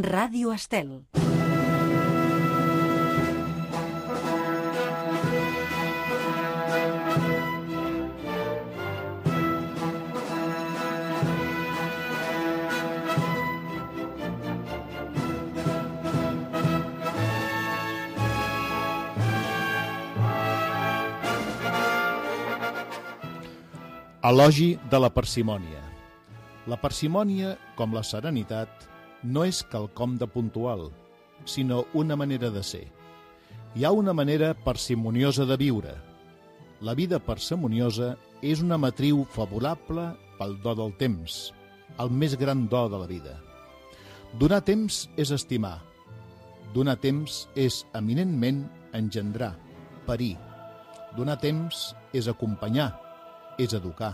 Ràdio Estel. Elogi de la parsimònia. La parsimònia, com la serenitat, no és quelcom de puntual, sinó una manera de ser. Hi ha una manera parsimoniosa de viure. La vida parsimoniosa és una matriu favorable pel do del temps, el més gran do de la vida. Donar temps és estimar. Donar temps és eminentment engendrar, parir. Donar temps és acompanyar, és educar.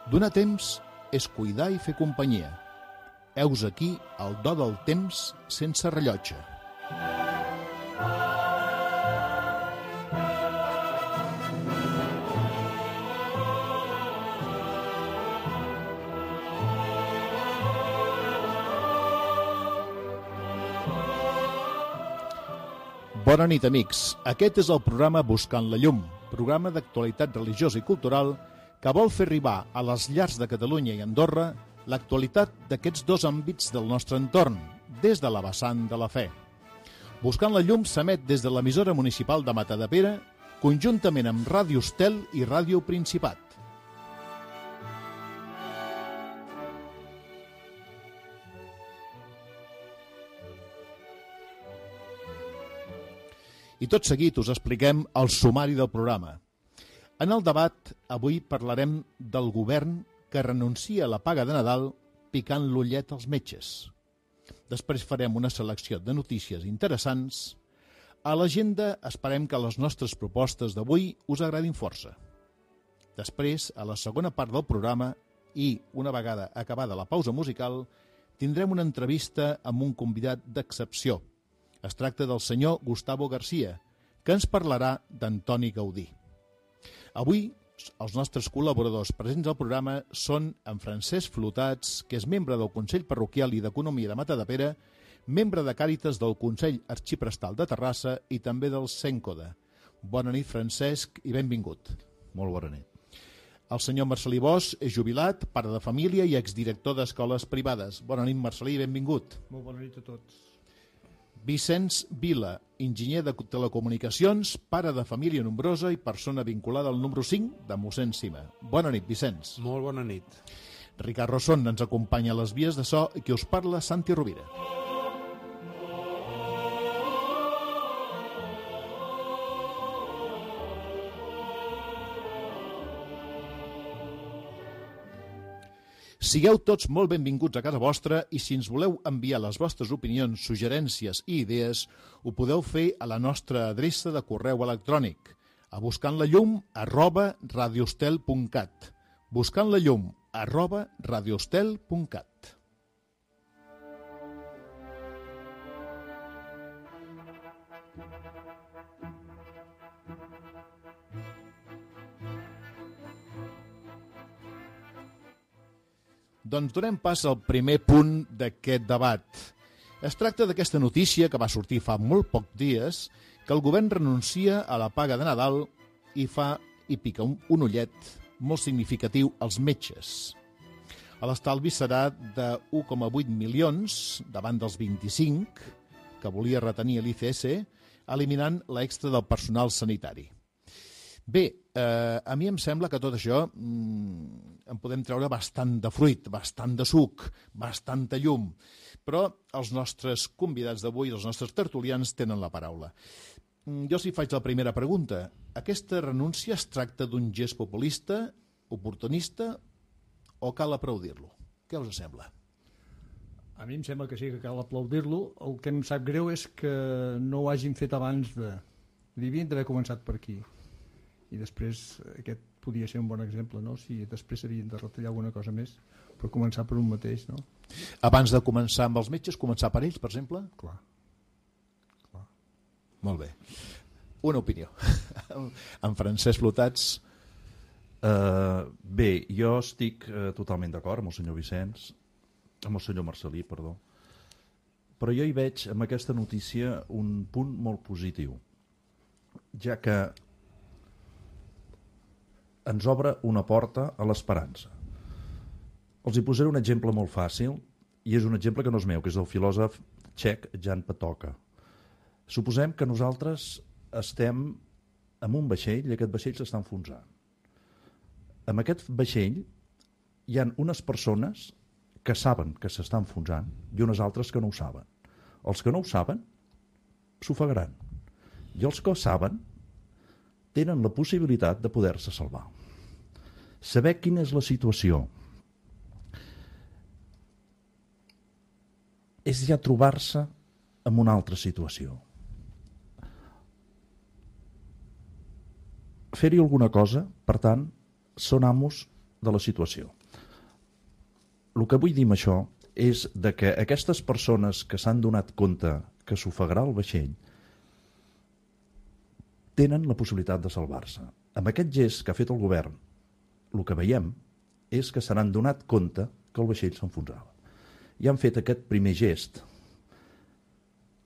Donar temps és cuidar i fer companyia. Heus aquí el do del temps sense rellotge. Bona nit, amics. Aquest és el programa Buscant la Llum, programa d'actualitat religiosa i cultural que vol fer arribar a les llars de Catalunya i Andorra l'actualitat d'aquests dos àmbits del nostre entorn, des de la vessant de la fe. Buscant la Llum s'emet des de l'emissora municipal de Matadepera, conjuntament amb Ràdio Estel i Ràdio Principat. I tot seguit us expliquem el sumari del programa. En el debat, avui parlarem del govern que renuncia a la paga de Nadal picant l'ullet als metges. Després farem una selecció de notícies interessants. A l'agenda esperem que les nostres propostes d'avui us agradin força. Després, a la segona part del programa i, una vegada acabada la pausa musical, tindrem una entrevista amb un convidat d'excepció. Es tracta del senyor Gustavo García, que ens parlarà d'Antoni Gaudí. Avui, els nostres col·laboradors presents al programa són en Francesc Flotats, que és membre del Consell Parroquial i d'Economia de Matadepera, membre de Càritas del Consell Arxiprestal de Terrassa i també del Cèncoda. Bona nit, Francesc, i benvingut. Molt bona nit. El senyor Marcelí Bosch és jubilat, pare de família i exdirector d'escoles privades. Bona nit, Marcelí, i benvingut. Molt bona nit a tots. Vicenç Vila, enginyer de telecomunicacions, pare de família nombrosa i persona vinculada al número 5 de mossèn Sima. Bona nit, Vicenç. Molt bona nit. Ricard Rosson ens acompanya a les vies de so i qui us parla, Santi Rovira. Sigueu tots molt benvinguts a casa vostra i si ens voleu enviar les vostres opinions, suggerències i idees, ho podeu fer a la nostra adreça de correu electrònic a buscantlallum@radioestel.cat buscantlallum@radioestel.cat. Doncs donem pas al primer punt d'aquest debat. Es tracta d'aquesta notícia que va sortir fa molt pocs dies, que el govern renuncia a la paga de Nadal i pica un ullet molt significatiu als metges. L'estalvi serà de 1,8 milions davant dels 25 que volia retenir l'ICS, eliminant l'extra del personal sanitari. Bé, a mi em sembla que tot això en podem treure bastant de fruit, bastant de suc, bastanta llum, però els nostres convidats d'avui, els nostres tertulians, tenen la paraula. Jo si faig la primera pregunta, aquesta renúncia es tracta d'un gest populista, oportunista o cal aplaudir-lo? Què us sembla? A mi em sembla que sí que cal aplaudir-lo. El que em sap greu és que no ho hagin fet abans de... Devien d'haver començat per aquí. I després aquest podia ser un bon exemple, no? Si després havien de retallar alguna cosa més, però començar per un mateix, no? Abans de començar amb els metges, començar per ells, per exemple? Clar. Molt bé. Una opinió. En Francesc Flotats. Bé, jo estic totalment d'acord amb el senyor Vicenç, amb el senyor Marcelí, perdó. però jo hi veig en aquesta notícia un punt molt positiu, ja que ens obre una porta a l'esperança. Els hi posaré un exemple molt fàcil, i és un exemple que no és meu, que és del filòsof txec Jan Patočka. Suposem que nosaltres estem en un vaixell i aquest vaixell s'està enfonsant. En aquest vaixell hi ha unes persones que saben que s'està enfonsant i unes altres que no ho saben. Els que no ho saben s'ofegaran i els que ho saben tenen la possibilitat de poder-se salvar. Saber quina és la situació és ja trobar-se en una altra situació. Fer-hi alguna cosa, per tant, són amos de la situació. El que vull dir amb això és de que aquestes persones que s'han donat compte que s'ofegarà el vaixell tenen la possibilitat de salvar-se. Amb aquest gest que ha fet el govern, el que veiem és que se n'han donat compte que el vaixell s'enfonsava. I han fet aquest primer gest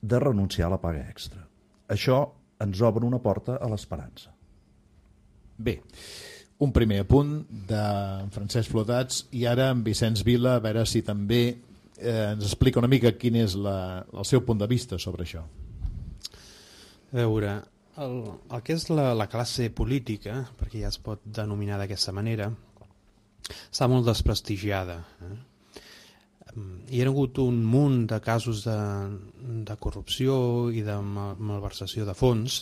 de renunciar a la paga extra. Això ens obre una porta a l'esperança. Bé, un primer apunt de Francesc Flotats i ara en Vicenç Vila, a veure si també ens explica una mica quin és el seu punt de vista sobre això. A veure, el que és la classe política, perquè ja es pot denominar d'aquesta manera, està molt desprestigiada. Hi ha hagut un munt de casos de corrupció i de malversació de fons,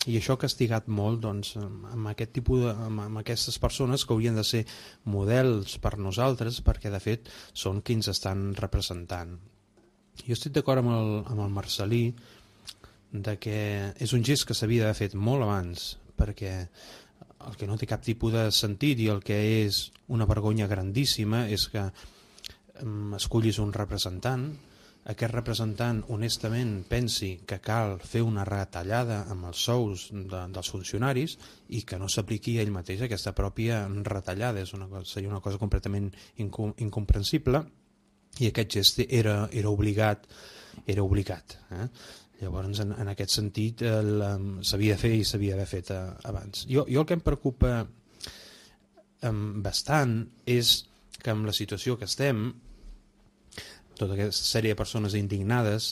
i això ha castigat molt amb aquest tipus amb aquestes persones que haurien de ser models per nosaltres, perquè de fet són qui ens estan representant. Jo estic d'acord amb el Marcelí de que és un gest que s'havia d'haver fet molt abans, perquè el que no té cap tipus de sentit i el que és una vergonya grandíssima és que escollis un representant, aquest representant honestament pensi que cal fer una retallada amb els sous dels funcionaris i que no s'apliqui ell mateix aquesta pròpia retallada. Seria una cosa completament incomprensible i aquest gest era obligat. Llavors, en aquest sentit, s'havia de fer i s'havia d'haver fet abans. Jo el que em preocupa bastant és que amb la situació que estem, tota aquesta sèrie de persones indignades,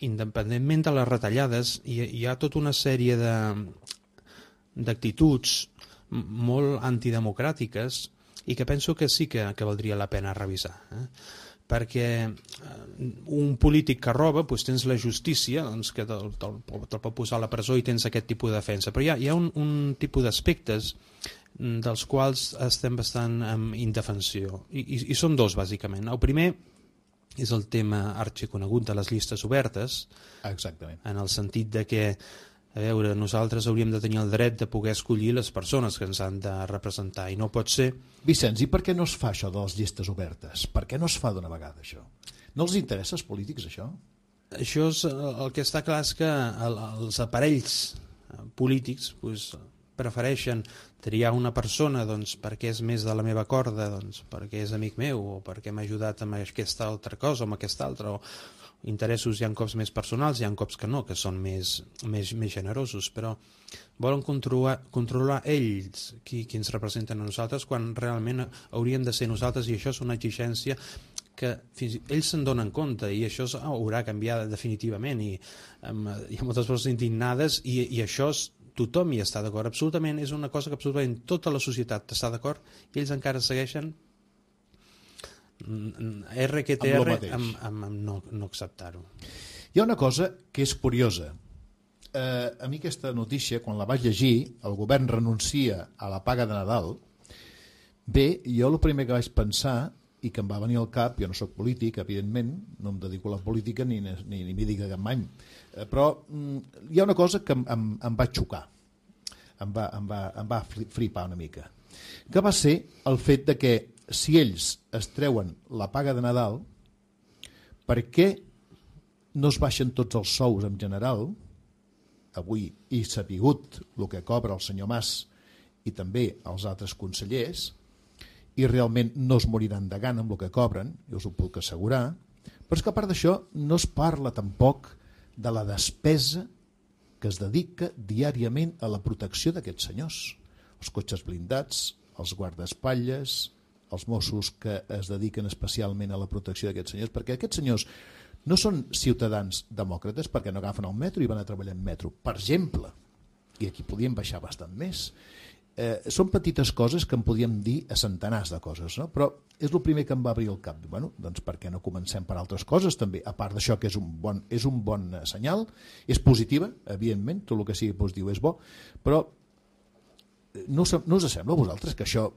independentment de les retallades, hi ha tota una sèrie d'actituds molt antidemocràtiques i que penso que sí que valdria la pena revisar. Perquè un polític que roba, doncs tens la justícia que te'l pot posar a la presó i tens aquest tipus de defensa. Però hi ha un tipus d'aspectes dels quals estem bastant en indefensió. I són dos, bàsicament. El primer és el tema arxiconegut de les llistes obertes. Exactament. En el sentit de que, a veure, nosaltres hauríem de tenir el dret de poder escollir les persones que ens han de representar, i no pot ser... Vicenç, i per què no es fa això de les llistes obertes? Per què no es fa d'una vegada, això? No els interessa als polítics, això? Això és, el que està clar és que els aparells polítics prefereixen triar una persona perquè és més de la meva corda, perquè és amic meu, o perquè m'ha ajudat amb aquesta altra cosa o amb aquesta altra, o interessos hi ha cops més personals, hi ha cops que no, que són més generosos, però volen controlar ells qui ens representen a nosaltres, quan realment hauríem de ser nosaltres, i això és una exigència que ells se'n donen compte, i això haurà canviat definitivament, i hi ha moltes persones indignades, i això tothom hi està d'acord, absolutament, és una cosa que absolutament tota la societat està d'acord, i ells encara segueixen RQTR amb no acceptar-ho. Hi ha una cosa que és curiosa. A mi aquesta notícia, quan la vaig llegir, el govern renuncia a la paga de Nadal. Bé, jo el primer que vaig pensar, i que em va venir al cap, jo no sóc polític, evidentment, no em dedico a la política ni m'hi dic cap any, però hi ha una cosa que em va xocar, em va flipar una mica, que va ser el fet de que si ells es treuen la paga de Nadal, per què no es baixen tots els sous en general, avui i sapigut el que cobra el senyor Mas i també els altres consellers, i realment no es moriran de gana amb el que cobren, jo us ho puc assegurar, Però és que a part d'això no es parla tampoc de la despesa que es dedica diàriament a la protecció d'aquests senyors. Els cotxes blindats, els guardaespatlles, els Mossos que es dediquen especialment a la protecció d'aquests senyors, perquè aquests senyors no són ciutadans demòcrates perquè no agafen el metro i van a treballar en metro, per exemple, i aquí podíem baixar bastant més. Són petites coses que en podíem dir a centenars de coses, no? Però és el primer que em va obrir el cap. Bueno, doncs per què no comencem per altres coses també? A part d'això, que és un bon senyal, és positiva, evidentment, tot el que sigui positiu és bo, però no us sembla a vosaltres que això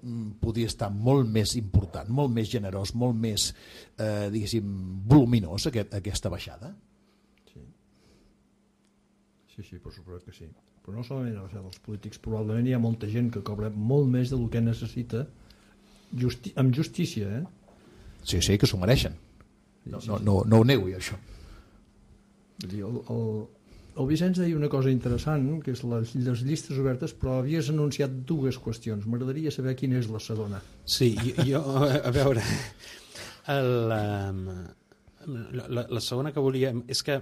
podria estar molt més important, molt més generós, molt més, diguéssim, voluminós, aquesta baixada? Sí, per suposat que sí. Però no solament a la dels polítics, probablement hi ha molta gent que cobra molt més del que necessita amb justícia, Sí, que s'ho mereixen. No ho nego, això. Vull dir, el Vicenç deia una cosa interessant, que és les llistes obertes, però havies anunciat dues qüestions. M'agradaria saber quina és la segona. Sí, jo a veure, la segona que volia... És que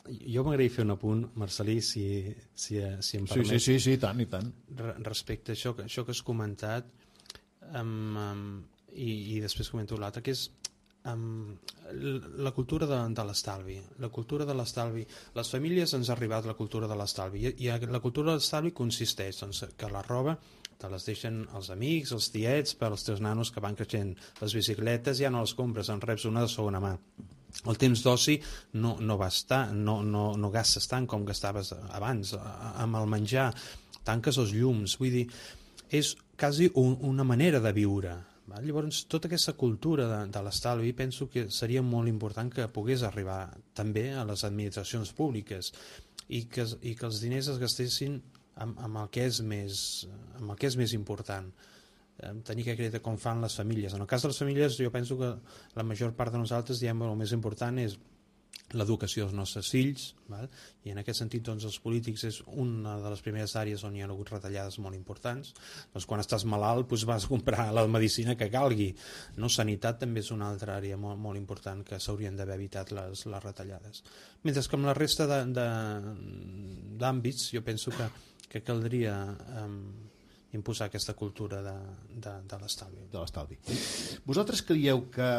jo m'agradaria fer un apunt, Marcelí, si em permet. Sí, tant i tant. Respecte a això que has comentat, i després comento l'altre, que és la cultura de l'estalvi. La cultura de l'estalvi. Les famílies ens ha arribat la cultura de l'estalvi, i la cultura de l'estalvi consisteix que la roba te les deixen els amics, els tiets, per als teus nanos que van creixent. Les bicicletes ja no les compres, en reps una de segona mà. El temps d'oci no va estar, no gastes tant com gastaves abans. Amb el menjar tanques els llums, vull dir, és quasi una manera de viure. Llavors, tota aquesta cultura de l'estalvi penso que seria molt important que pogués arribar també a les administracions públiques i que els diners es gastessin amb el que és més important. Tenir aquest credit com fan les famílies. En el cas de les famílies, jo penso que la major part de nosaltres diem que el més important és l'educació dels nostres fills, val? I en aquest sentit doncs, els polítics és una de les primeres àrees on hi ha hagut retallades molt importants. Doncs, quan estàs malalt doncs, vas a comprar la medicina que calgui, no? Sanitat també és una altra àrea molt, molt important que s'haurien d'haver evitat les retallades. Mentre que amb la resta d'àmbits jo penso que caldria imposar aquesta cultura de l'estalvi. Vosaltres creieu que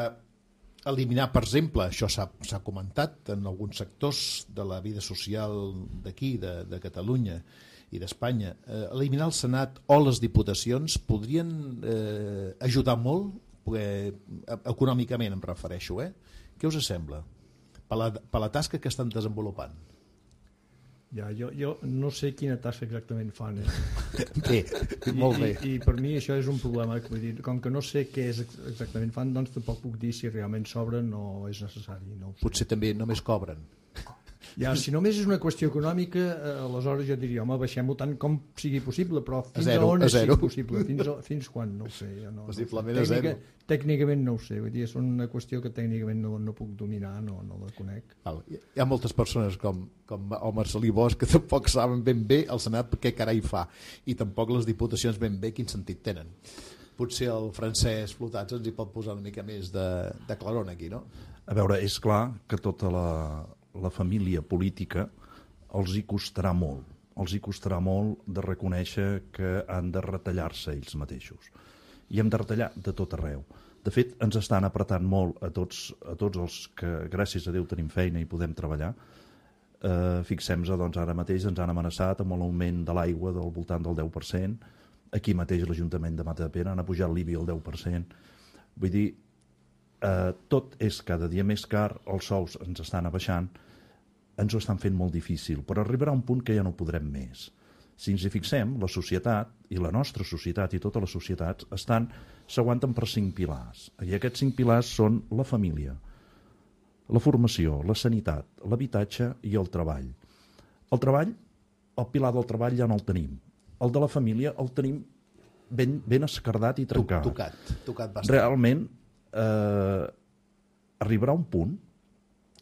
eliminar, per exemple, això s'ha comentat en alguns sectors de la vida social d'aquí, de Catalunya i d'Espanya, eliminar el Senat o les diputacions podrien ajudar molt, econòmicament em refereixo, Què us sembla? Per la tasca que estan desenvolupant. Ja, jo no sé quina tasca exactament fan. Bé, molt bé. I per mi això és un problema. Vull dir, com que no sé què exactament fan, doncs tampoc puc dir si realment sobren o és necessari. No ho sé. Potser també només cobren. Ja, si només és una qüestió econòmica, aleshores jo diria, home, baixem-ho tant com sigui possible, però fins a on és possible? Fins quan? No ho sé. Possiblement a zero. Tècnicament no ho sé, vull dir, és una qüestió que tècnicament no puc dominar, no la conec. Hi ha moltes persones com el Marcelí Bosch que tampoc saben ben bé el Senat què carai fa, i tampoc les diputacions ben bé quin sentit tenen. Potser el Francesc Flotats ens hi pot posar una mica més de claror aquí, no? A veure, és clar que tota la família política els hi costarà molt de reconèixer que han de retallar-se ells mateixos, i hem de retallar de tot arreu. De fet, ens estan apretant molt a tots els que gràcies a Déu tenim feina i podem treballar. Fixem-nos, doncs ara mateix ens han amenaçat amb l'augment de l'aigua del voltant del 10%, aquí mateix l'Ajuntament de Matadepera han apujat l'IBI al 10%, vull dir, tot és cada dia més car, els sous ens estan abaixant, ens ho estan fent molt difícil, però arribarà un punt que ja no podrem més. Si ens hi fixem, la societat, i la nostra societat i totes les societats, s'aguanten per 5 pilars. I aquests 5 pilars són la família, la formació, la sanitat, l'habitatge i el treball. El treball, el pilar del treball ja no el tenim. El de la família el tenim ben esquerdat i trencat. Tocat bastant. Realment, arribarà un punt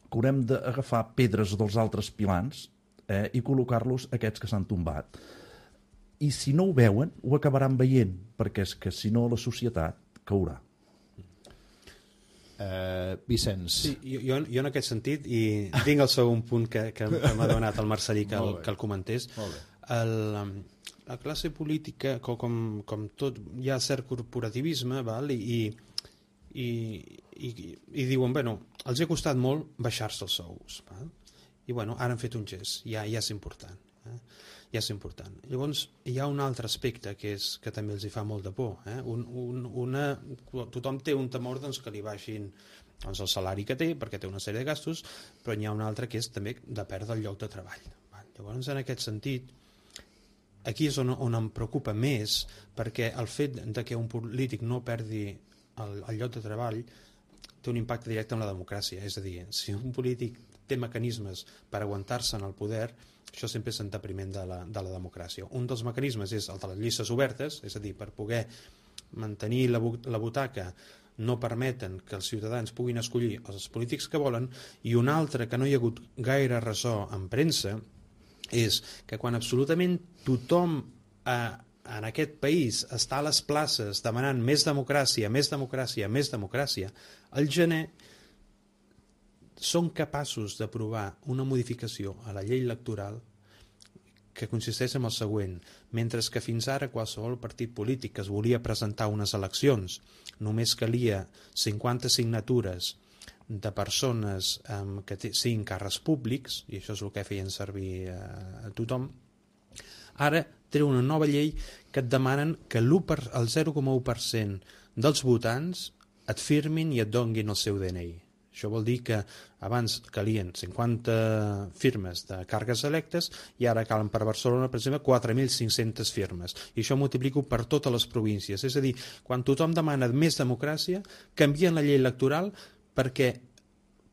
que haurem d'agafar pedres dels altres pilars i col·locar-los aquests que s'han tombat. I si no ho veuen, ho acabaran veient, perquè és que si no la societat caurà. Vicenç. Sí, jo en aquest sentit, i tinc el segon punt que m'ha donat el Marcelí que el comentés, la classe política, com tot, hi ha cert corporativisme, val? I diuen, bueno, els ha costat molt baixar-se els sous, val? I bueno, ara han fet un gest, ja és important. Ja és important. Llavors, hi ha un altre aspecte que també els hi fa molt de por. Tothom té un temor doncs, que li baixin el salari que té, perquè té una sèrie de gastos, però n'hi ha un altre que és també de perdre el lloc de treball. Llavors, en aquest sentit, aquí és on em preocupa més, perquè el fet de que un polític no perdi el lloc de treball té un impacte directe en la democràcia. És a dir, si un polític té mecanismes per aguantar-se en el poder, això sempre és en detriment de la democràcia. Un dels mecanismes és el de les llistes obertes, és a dir, per poder mantenir la butaca no permeten que els ciutadans puguin escollir els polítics que volen, i un altre que no hi ha hagut gaire ressò en premsa és que quan absolutament tothom en aquest país està a les places demanant més democràcia, més democràcia, més democràcia, al gener són capaços d'aprovar una modificació a la llei electoral que consisteix en el següent: mentre que fins ara qualsevol partit polític que es volia presentar unes eleccions només calia 50 signatures de persones que siguin càrrecs públics, i això és el que feien servir a tothom, ara té una nova llei que et demanen que el 0,1% dels votants et firmin i et donguin el seu DNI. Això vol dir que abans calien 50 firmes de càrrecs electes i ara calen per Barcelona, per exemple, 4.500 firmes. I això multiplico per totes les províncies. És a dir, quan tothom demana més democràcia, canvien la llei electoral perquè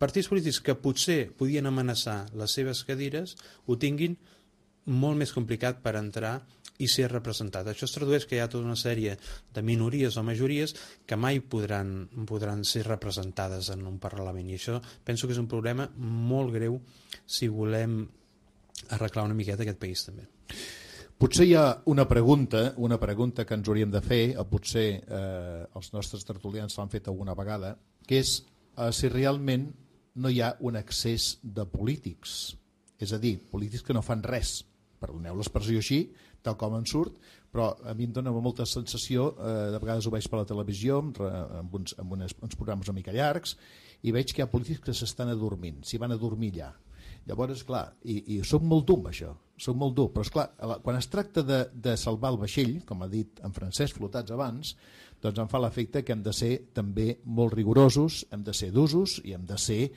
partits polítics que potser podien amenaçar les seves cadires ho tinguin molt més complicat per entrar i ser representat. Això es tradueix que hi ha tota una sèrie de minories o majories que mai podran ser representades en un Parlament, i això penso que és un problema molt greu si volem arreglar una miqueta aquest país també. Potser hi ha una pregunta que ens hauríem de fer, o potser els nostres tertulians l'han fet alguna vegada, que és si realment no hi ha un excés de polítics, és a dir, polítics que no fan res, perdoneu l'expressió així, tal com en surt, però a mi em dona molta sensació, de vegades ho veig per la televisió, amb uns programes una mica llargs, i veig que hi ha polítics que s'estan adormint, s'hi van a dormir allà. Llavors, clar, i soc molt dur amb això, soc molt dur, però esclar, quan es tracta de salvar el vaixell, com ha dit en Francesc Flotats abans, doncs em fa l'efecte que hem de ser també molt rigorosos, hem de ser d'usos i hem de ser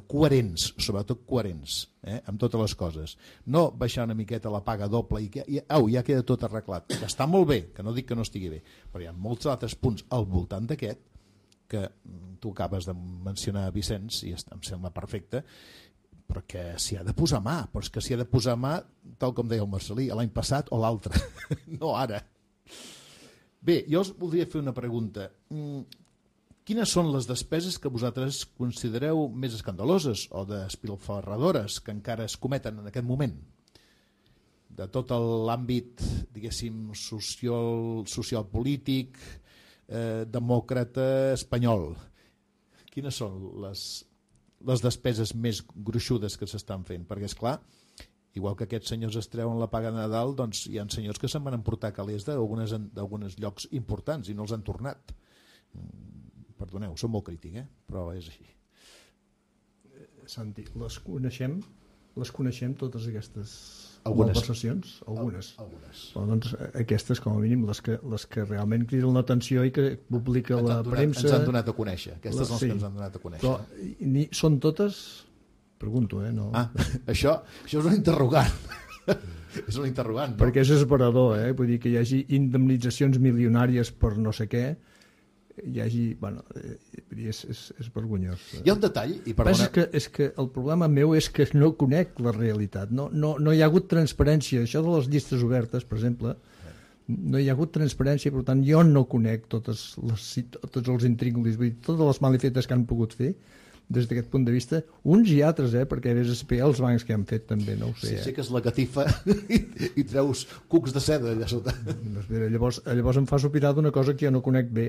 coherents, sobretot coherents amb totes les coses. No baixar una miqueta la paga doble i ja queda tot arreglat, que està molt bé, que no dic que no estigui bé, però hi ha molts altres punts al voltant d'aquest que tu acabes de mencionar, Vicenç, i em sembla perfecte, però que s'hi ha de posar mà, però és que s'hi ha de posar mà, tal com deia el Marcelí, l'any passat o l'altre, no ara. Bé, jo us voldria fer una pregunta. Quines són les despeses que vosaltres considereu més escandaloses o despilfarradores que encara es cometen en aquest moment? De tot l'àmbit, diguéssim, social-polític, demòcrata espanyol. Quines són les despeses més gruixudes que s'estan fent? Perquè, esclar, igual que aquests senyors es treuen la paga de Nadal, doncs hi ha senyors que se'n van emportar calés d'alguns llocs importants i no els han tornat. Perdoneu, soc molt crític, però és així. Santi, les coneixem totes aquestes malversacions? Algunes. Però, doncs, aquestes, com a mínim, les que realment criden l'atenció i que publica la premsa... Ens han donat a conèixer. Aquestes són les que ens han donat a conèixer. Però són totes... Pregunto, no? Això és un interrogant. És un interrogant. No? Perquè és esperador, vull dir que hi hagi indemnitzacions milionàries per no sé què, hi hagi... Bueno, és vergonyós. Hi ha un detall, i perdona... És que el problema meu és que no conec la realitat. No hi ha hagut transparència. Això de les llistes obertes, per exemple, no hi ha hagut transparència, per tant, jo no conec tots els intríngulis, vull dir, totes les malifetes que han pogut fer, des d'aquest punt de vista, uns i altres, perquè vés a espiar els bancs que han fet també, no ho sé. Sí, que és la catifa i treus cucs de seda allà sota. Llavors em fa sopirar d'una cosa que jo no conec bé.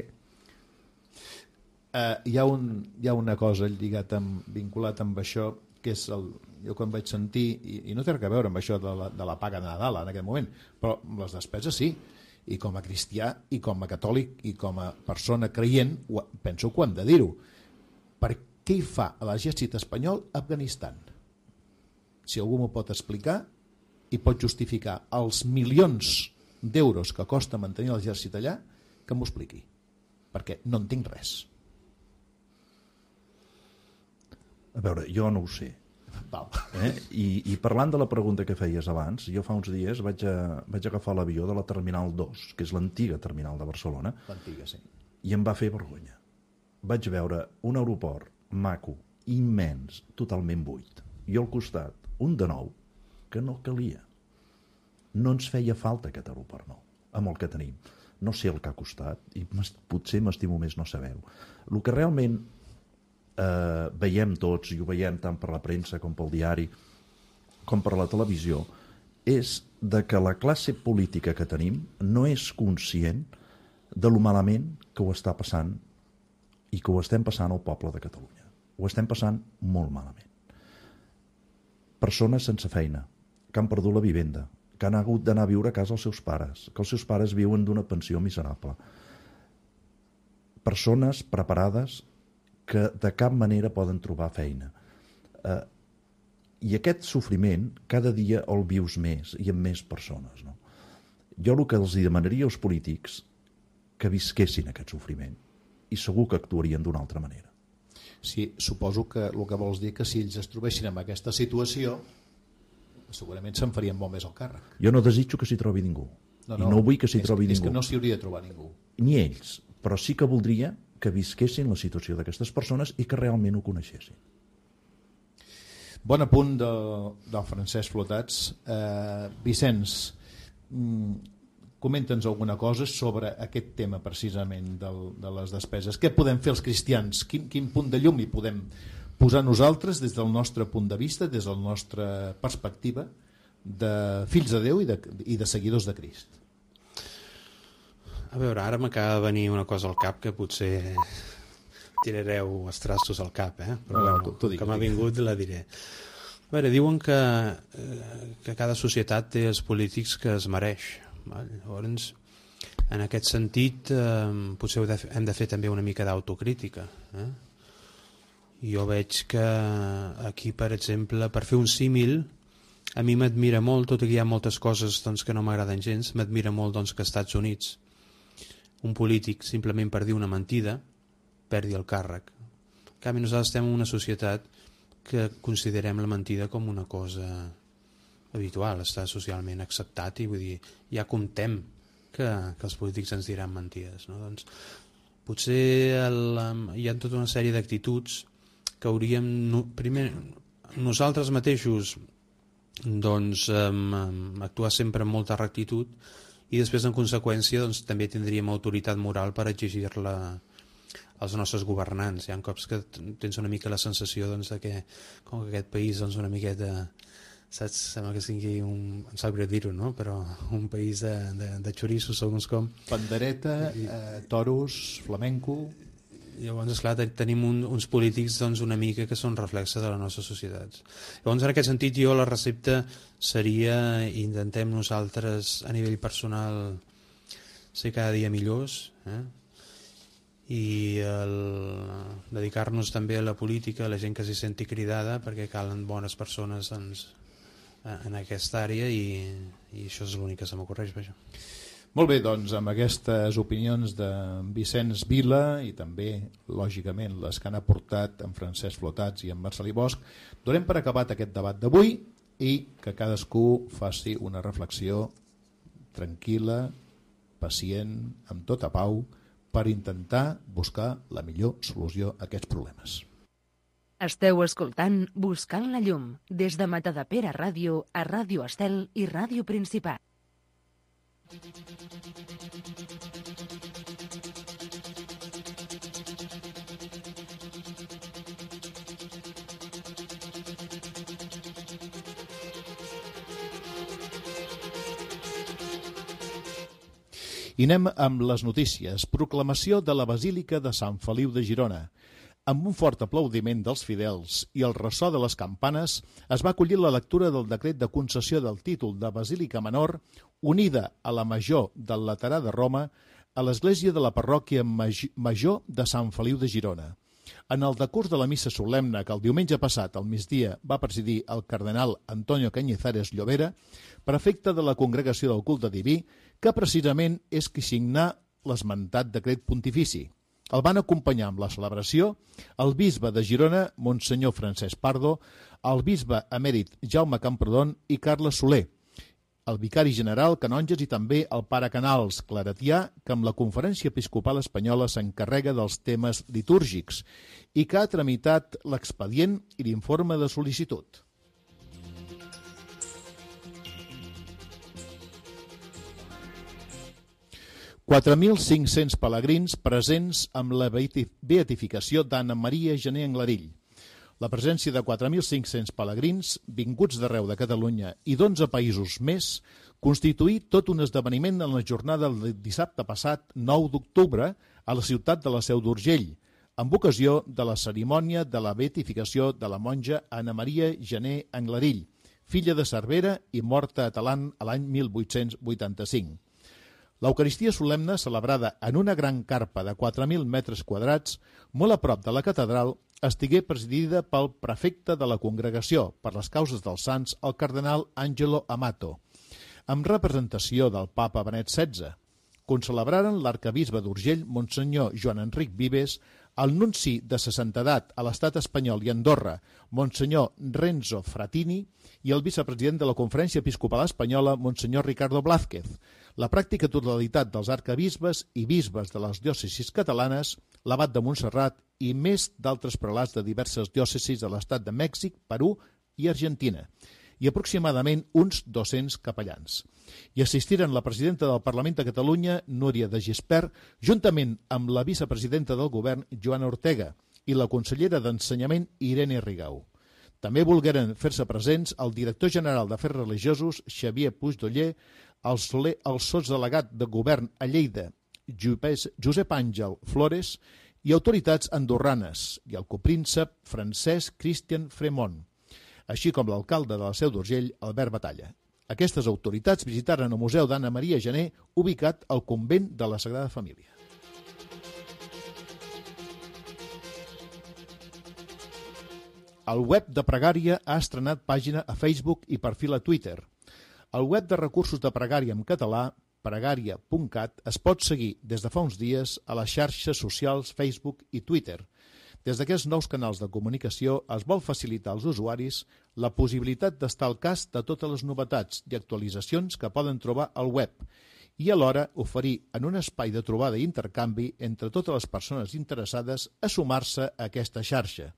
hi ha una cosa vinculat amb això, que és jo quan vaig sentir, i no té res a veure amb això de la paga de Nadal en aquest moment, però les despeses sí, i com a cristià, i com a catòlic, i com a persona creient, penso que ho hem de dir-ho. Per què hi fa a l'exèrcit espanyol a Afganistan? Si algú m'ho pot explicar i pot justificar els milions d'euros que costa mantenir l'exèrcit allà, que m'ho expliqui, perquè no entenc res. A veure, jo no ho sé. Val. I parlant de la pregunta que feies abans, jo fa uns dies vaig agafar l'avió de la Terminal 2, que és l'antiga terminal de Barcelona. L'antiga, sí. I em va fer vergonya. Vaig veure un aeroport maco, immens, totalment buit. I al costat, un de nou, que no calia. No ens feia falta aquest aeroport nou, amb el que tenim. No sé el que ha costat, i potser m'estimo més no saber-ho. El que realment veiem tots, i ho veiem tant per la premsa com pel diari, com per la televisió, és de que la classe política que tenim no és conscient de lo malament que ho està passant i que ho estem passant al poble de Catalunya. Ho estem passant molt malament. Persones sense feina, que han perdut la vivenda, que han hagut d'anar a viure a casa els seus pares, que els seus pares viuen d'una pensió miserable. Persones preparades que de cap manera poden trobar feina. I aquest sofriment cada dia el vius més i amb més persones. No? Jo el que els demanaria als polítics que visquessin aquest sofriment i segur que actuarien d'una altra manera. Sí, suposo que el que vols dir que si ells es trobessin en aquesta situació segurament se'n farien molt més al càrrec. Jo no desitjo que s'hi trobi ningú. I no vull que s'hi trobi ningú. És que no s'hi hauria de trobar ningú. Ni ells, però sí que voldria que visquessin la situació d'aquestes persones i que realment ho coneixessin. Bon apunt del Francesc Flotats. Vicenç, comenta'ns alguna cosa sobre aquest tema precisament de les despeses. Què podem fer els cristians? Quin punt de llum hi podem posar nosaltres des del nostre punt de vista, des de la nostra perspectiva de fills de Déu i de seguidors de Crist? A veure, ara m'acaba de venir una cosa al cap que potser tirareu els trastos al cap, però no, que m'ha vingut la diré. A veure, diuen que cada societat té els polítics que es mereix. Val? Llavors, en aquest sentit, potser hem de fer també una mica d'autocrítica. Jo veig que aquí, per exemple, per fer un símil, a mi m'admira molt, tot i que hi ha moltes coses doncs, que no m'agraden gens, m'admira molt doncs, que als Estats Units un polític simplement per dir una mentida perdi el càrrec. En canvi, nosaltres estem en una societat que considerem la mentida com una cosa habitual, està socialment acceptat i vull dir, ja comptem que els polítics ens diran mentides. No? Doncs, potser hi ha tota una sèrie d'actituds que hauríem, primer, nosaltres mateixos doncs, actuar sempre amb molta rectitud i després en conseqüència doncs, també tindríem autoritat moral per exigir-la als nostres governants. Hi ha cops que tens una mica la sensació doncs, de que com que aquest país doncs, una miqueta, saps, sembla que sigui em sap greu dir-ho, no? Però un país de xorissos segons com. Pandereta, toros, flamenco. Llavors, esclar, tenim uns polítics doncs, una mica que són reflexes de les nostres societats. Llavors, en aquest sentit, jo la recepta seria intentem nosaltres a nivell personal ser cada dia millors i dedicar-nos també a la política, a la gent que s'hi senti cridada, perquè calen bones persones doncs, en aquesta àrea i això és l'únic que se m'ocorreix. Molt bé, doncs amb aquestes opinions de Vicenç Vila i també, lògicament, les que han aportat en Francesc Flotats i en Marcelí Bosch, donem per acabat aquest debat d'avui i que cadascú faci una reflexió tranquil·la, pacient, amb tota pau, per intentar buscar la millor solució a aquests problemes. Esteu escoltant Buscant la llum des de Matadepera Ràdio a Ràdio Estel i Ràdio Principat. I anem amb les notícies. Proclamació de la Basílica de Sant Feliu de Girona. Amb un fort aplaudiment dels fidels i el ressò de les campanes, es va acollir la lectura del decret de concessió del títol de Basílica Menor, unida a la Major del Laterà de Roma, a l'església de la parròquia Major de Sant Feliu de Girona. En el decurs de la missa solemne que el diumenge passat al migdia va presidir el cardenal Antonio Cañizares Llobera, prefecte de la Congregació del Culte Diví, que precisament és qui signà l'esmentat decret pontifici. El van acompanyar amb la celebració el bisbe de Girona, Monsenyor Francesc Pardo, el bisbe emèrit Jaume Camprodon i Carles Soler, el vicari general, canonges i també el pare Canals, claretià, que amb la Conferència Episcopal Espanyola s'encarrega dels temes litúrgics i que ha tramitat l'expedient i l'informe de sol·licitud. «4.500 pelegrins presents amb la beatificació d'Anna Maria Gené Anglarill. La presència de 4.500 pelegrins vinguts d'arreu de Catalunya i d'11 països més constituí tot un esdeveniment en la jornada del dissabte passat, 9 d'octubre, a la ciutat de la Seu d'Urgell, amb ocasió de la cerimònia de la beatificació de la monja Anna Maria Gené Anglarill, filla de Cervera i morta a Talant a l'any 1885. L'Eucaristia solemne, celebrada en una gran carpa de 4.000 metres quadrats, molt a prop de la catedral, estigué presidida pel prefecte de la Congregació per les causes dels sants, el cardenal Angelo Amato, amb representació del papa Benet XVI. Concelebraren l'arcabisbe d'Urgell, Monsenyor Joan Enric Vives, el nunci de sa santedat a l'estat espanyol i Andorra, Monsenyor Renzo Fratini, i el vicepresident de la Conferència Episcopal Espanyola, Monsenyor Ricardo Blázquez, la pràctica totalitat dels arcabisbes i bisbes de les diòcesis catalanes, l'abat de Montserrat i més d'altres prelats de diverses diòcesis de l'estat de Mèxic, Perú i Argentina, i aproximadament uns 200 capellans. Hi assistiren la presidenta del Parlament de Catalunya, Núria de Gispert, juntament amb la vicepresidenta del govern, Joana Ortega, i la consellera d'Ensenyament, Irene Rigau. També volgueren fer-se presents el director general d'Afers Religiosos, Xavier Puigdoller, el sotsdelegat de govern a Lleida, Josep Àngel Flores, i autoritats andorranes, i el copríncep Francesc Cristian Fremont, així com l'alcalde de la Seu d'Urgell, Albert Batalla. Aquestes autoritats visitaren el Museu d'Anna Maria Gené, ubicat al convent de la Sagrada Família. El web de Pregària ha estrenat pàgina a Facebook i perfil a Twitter. El web de recursos de Pregària en català, pregària.cat, es pot seguir des de fa uns dies a les xarxes socials Facebook i Twitter. Des d'aquests nous canals de comunicació es vol facilitar als usuaris la possibilitat d'estar al cas de totes les novetats i actualitzacions que poden trobar al web i alhora oferir en un espai de trobada i intercanvi entre totes les persones interessades a sumar-se a aquesta xarxa.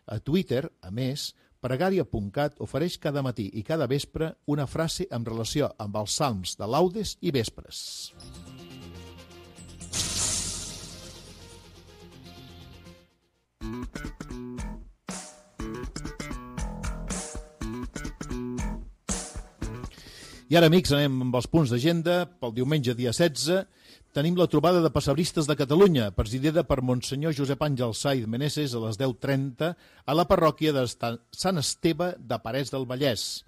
A Twitter, a més, Pregària.cat ofereix cada matí i cada vespre una frase en relació amb els salms de laudes i vespres. I ara, amics, anem amb els punts d'agenda. Pel diumenge, dia 16, tenim la trobada de pessebristes de Catalunya, presidida per Monsenyor Josep Àngel Saiz Meneses a les 10:30 a la parròquia de Sant Esteve de Parets del Vallès.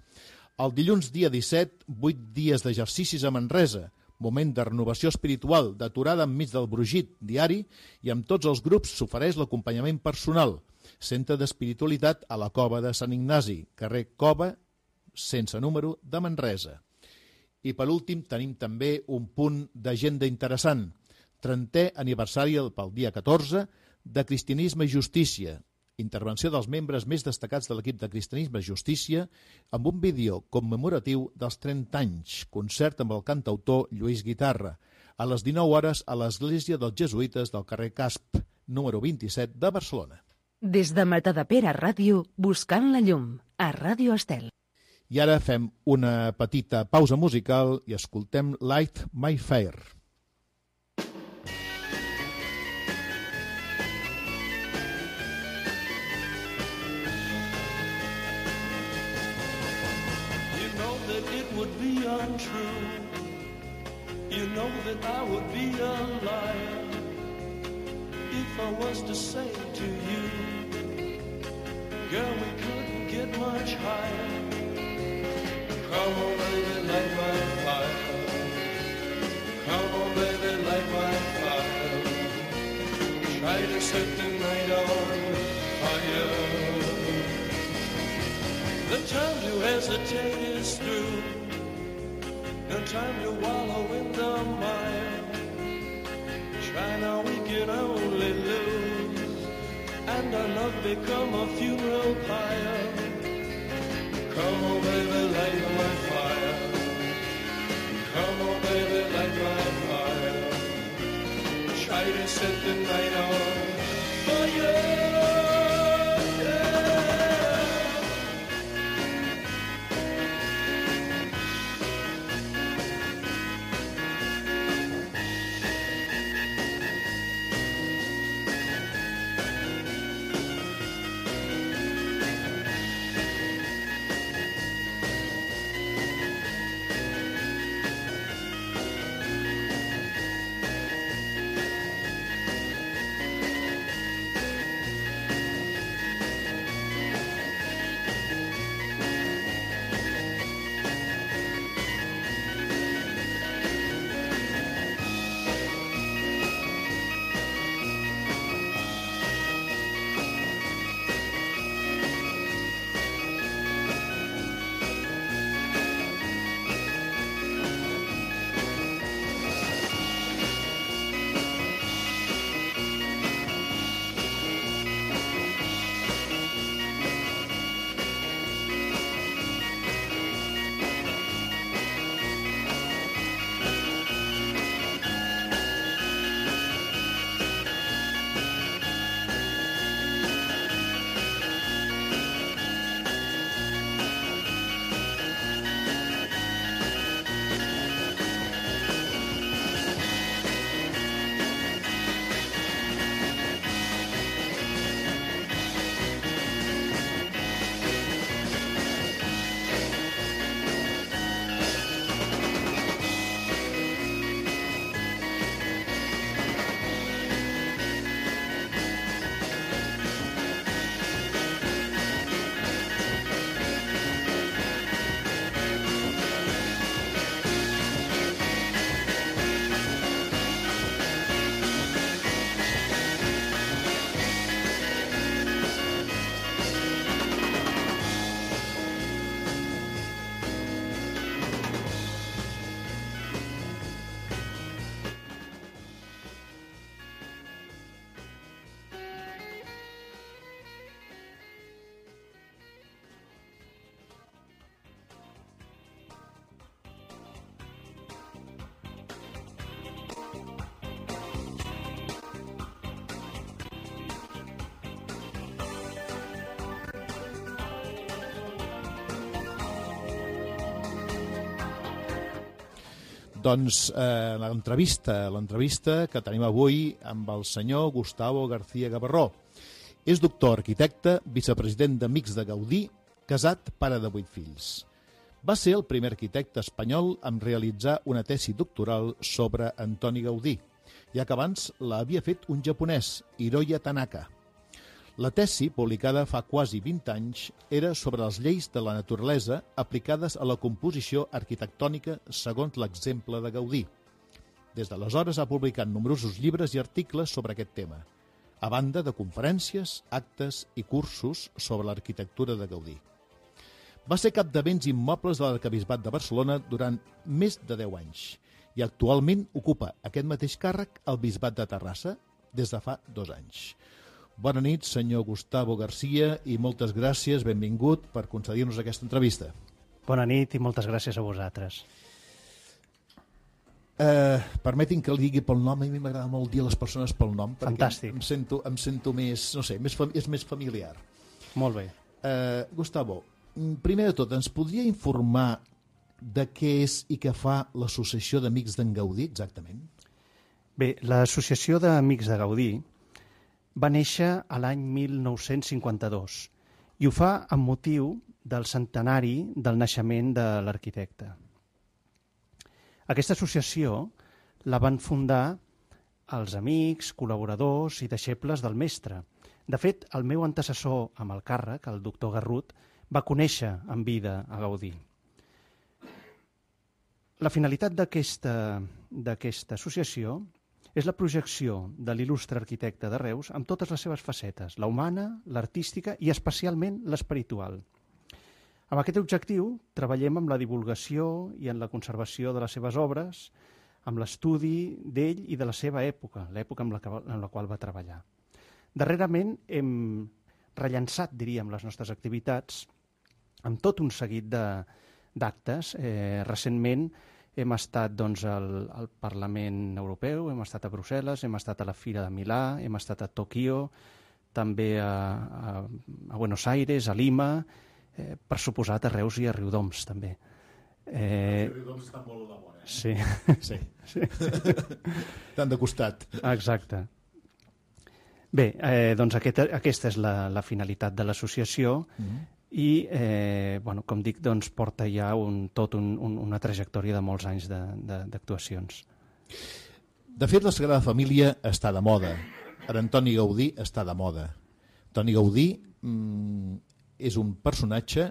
El dilluns, dia 17, 8 dies d'exercicis a Manresa, moment de renovació espiritual, d'aturada enmig del brugit diari, i amb tots els grups s'ofereix l'acompanyament personal. Centre d'Espiritualitat a la Cova de Sant Ignasi, carrer Cova, sense número, de Manresa. I per últim tenim també un punt d'agenda interessant. 30è aniversari pel dia 14 de Cristianisme i Justícia. Intervenció dels membres més destacats de l'equip de Cristianisme i Justícia amb un vídeo commemoratiu dels 30 anys. Concert amb el cantautor Lluís Guitarra. A les 19 hores a l'Església dels Jesuïtes del carrer Casp, número 27 de Barcelona. Des de Matadepera Ràdio, buscant la llum, a Ràdio Estel. I ara fem una petita pausa musical i escoltem Light My Fire. You know that it would be untrue. You know that I would be a liar if I was to say to you, girl, we couldn't get much higher. Come on, baby, light my fire. Come on, baby, light my fire. Try to set the night on fire. The time to hesitate is through. No time to wallow in the mire. Try now, we can only lose, and our love become a funeral pyre. Come on, baby, light my fire. Come on, baby, light my fire. Try to set the night on fire. Doncs l'entrevista que tenim avui amb el senyor Gustavo García Gavarró. És doctor arquitecte, vicepresident d'Amics de Gaudí, casat, pare de 8 fills. Va ser el primer arquitecte espanyol en realitzar una tesi doctoral sobre Antoni Gaudí, ja que abans l'havia fet un japonès, Hiroya Tanaka. La tesi, publicada fa quasi 20 anys, era sobre les lleis de la naturalesa aplicades a la composició arquitectònica segons l'exemple de Gaudí. Des d'aleshores ha publicat nombrosos llibres i articles sobre aquest tema, a banda de conferències, actes i cursos sobre l'arquitectura de Gaudí. Va ser cap de béns immobles de l'Arquebisbat de Barcelona durant més de 10 anys i actualment ocupa aquest mateix càrrec al Bisbat de Terrassa des de fa 2 anys. Bona nit, senyor Gustavo García, i moltes gràcies, benvingut, per concedir-nos aquesta entrevista. Bona nit i moltes gràcies a vosaltres. Permetin que li digui pel nom, a mi m'agrada molt dir a les persones pel nom, Fantàstic. perquè em sento més, no sé, és més familiar. Molt bé. Gustavo, primer de tot, ens podria informar de què és i què fa l'Associació d'Amics d'en Gaudí, exactament? Bé, l'Associació d'Amics de Gaudí va néixer a l'any 1952 i ho fa amb motiu del centenari del naixement de l'arquitecte. Aquesta associació la van fundar els amics, col·laboradors i deixebles del mestre. De fet, el meu antecessor amb el càrrec, el doctor Garrut, va conèixer en vida a Gaudí. La finalitat d'aquesta associació és la projecció de l'il·lustre arquitecte de Reus amb totes les seves facetes, la humana, l'artística i especialment l'espiritual. Amb aquest objectiu treballem amb la divulgació i en la conservació de les seves obres, amb l'estudi d'ell i de la seva època, l'època en la qual va treballar. Darrerament hem rellançat, diríem, les nostres activitats amb tot un seguit d'actes. Recentment hem estat al Parlament Europeu, hem estat a Brussel·les, hem estat a la Fira de Milà, hem estat a Tòquio, també a Buenos Aires, a Lima, per suposat a Reus i a Riudoms també. Riudoms està molt a la vora. Sí. Tant de costat. Exacte. Bé, doncs aquesta és la finalitat de l'associació i, com dic, porta ja una trajectòria de molts anys d'actuacions. De fet, la Sagrada Família està de moda. Ara Antoni Gaudí està de moda. Antoni Gaudí és un personatge.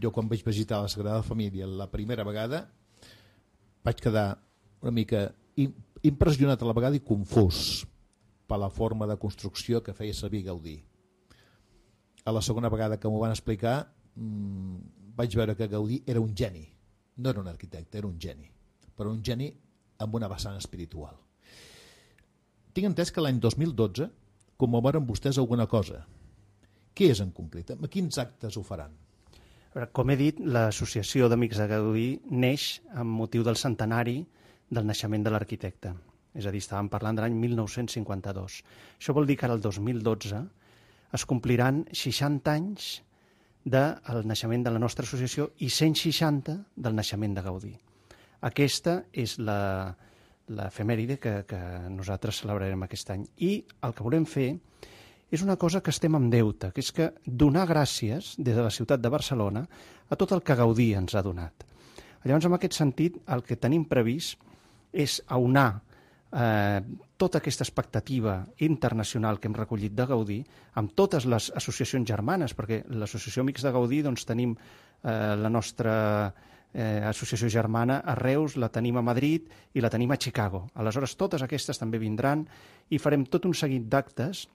Jo quan vaig visitar la Sagrada Família la primera vegada vaig quedar una mica impressionat a la vegada i confús per la forma de construcció que feia servir Gaudí. A la segona vegada que m'ho van explicar vaig veure que Gaudí era un geni. No era un arquitecte, era un geni. Però un geni amb una vessant espiritual. Tinc entès que l'any 2012 commemoren vostès alguna cosa. Què és en concret? A quins actes ho faran? Com he dit, l'Associació d'Amics de Gaudí neix amb motiu del centenari del naixement de l'arquitecte. És a dir, estàvem parlant de l'any 1952. Això vol dir que ara el 2012 es compliran 60 anys del naixement de la nostra associació i 160 del naixement de Gaudí. Aquesta és l'efemèride que nosaltres celebrarem aquest any. I el que volem fer és una cosa que estem en deute, que és que donar gràcies des de la ciutat de Barcelona a tot el que Gaudí ens ha donat. Llavors, en aquest sentit, el que tenim previst és aunar tota aquesta expectativa internacional que hem recollit de Gaudí amb totes les associacions germanes, perquè l'Associació Amics de Gaudí tenim la nostra associació germana a Reus, la tenim a Madrid i la tenim a Chicago. Aleshores, totes aquestes també vindran i farem tot un seguit d'actes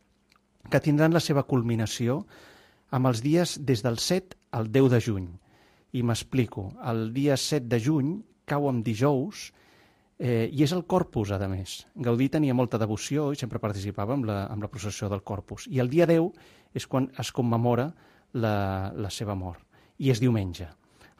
que tindran la seva culminació amb els dies des del 7 al 10 de juny. I m'explico. El dia 7 de juny cau en dijous i és el Corpus, a més. Gaudí tenia molta devoció i sempre participava amb la processió del Corpus. I el dia 10 és quan es commemora la seva mort. I és diumenge.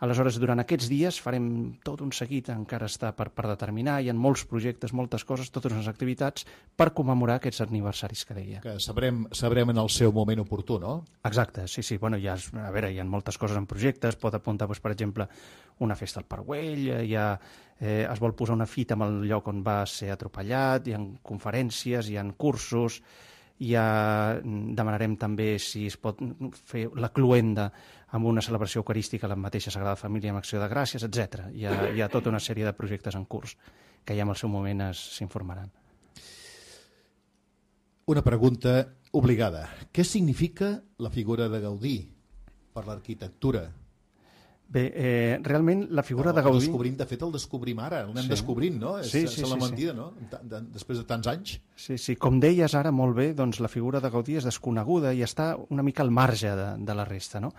Aleshores, durant aquests dies farem tot un seguit, encara està per determinar, hi ha molts projectes, moltes coses, totes unes activitats per commemorar aquests aniversaris que deia. Que sabrem en el seu moment oportú, no? Exacte, sí. Bueno, hi ha moltes coses en projectes, pot apuntar, per exemple, una festa al Parc Güell, es vol posar una fita en el lloc on va ser atropellat, hi ha conferències, hi ha cursos, demanarem també si es pot fer la cloenda amb una celebració eucarística a la mateixa Sagrada Família amb acció de gràcies, etc. Hi ha tota una sèrie de projectes en curs que ja en el seu moment s'informaran. Una pregunta obligada. Què significa la figura de Gaudí per l'arquitectura? Bé, realment la figura de Gaudí... De fet, el descobrim ara, l'anem descobrint, no? Sí. La mentida, no? Després de tants anys. Sí, com deies ara molt bé, doncs la figura de Gaudí és desconeguda i està una mica al marge de la resta, no?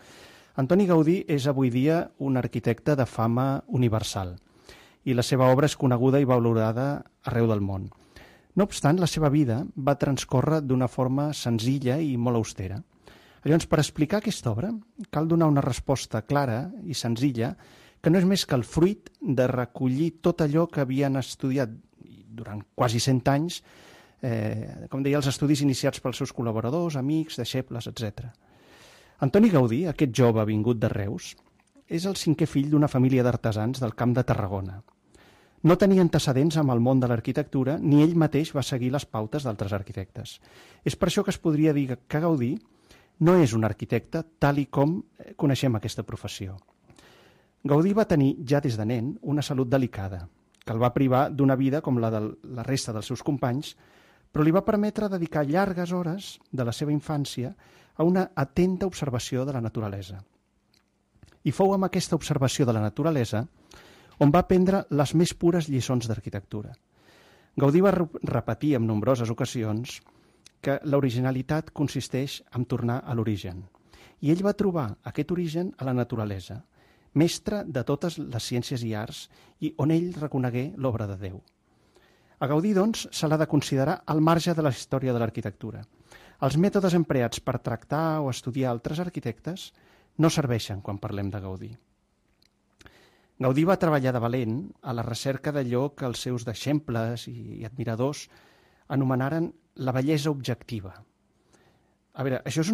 Antoni Gaudí és avui dia un arquitecte de fama universal i la seva obra és coneguda i valorada arreu del món. No obstant, la seva vida va transcórrer d'una forma senzilla i molt austera. Llavors, per explicar aquesta obra, cal donar una resposta clara i senzilla que no és més que el fruit de recollir tot allò que havien estudiat durant quasi 100 anys, com deia, els estudis iniciats pels seus col·laboradors, amics, deixebles, etc. Antoni Gaudí, aquest jove vingut de Reus, és el 5è fill d'una família d'artesans del Camp de Tarragona. No tenia antecedents amb el món de l'arquitectura, ni ell mateix va seguir les pautes d'altres arquitectes. És per això que es podria dir que Gaudí no és un arquitecte tal i com coneixem aquesta professió. Gaudí va tenir, ja des de nen, una salut delicada que el va privar d'una vida com la de la resta dels seus companys, però li va permetre dedicar llargues hores de la seva infància a una atenta observació de la naturalesa. I fou amb aquesta observació de la naturalesa on va aprendre les més pures lliçons d'arquitectura. Gaudí va repetir en nombroses ocasions que l'originalitat consisteix en tornar a l'origen. I ell va trobar aquest origen a la naturalesa, mestre de totes les ciències i arts, i on ell reconegué l'obra de Déu. A Gaudí, doncs, se l'ha de considerar al marge de la història de l'arquitectura. Els mètodes empleats per tractar o estudiar altres arquitectes no serveixen quan parlem de Gaudí. Gaudí va treballar de valent a la recerca d'allò que els seus deixebles i admiradors anomenaren la bellesa objectiva. A veure, això és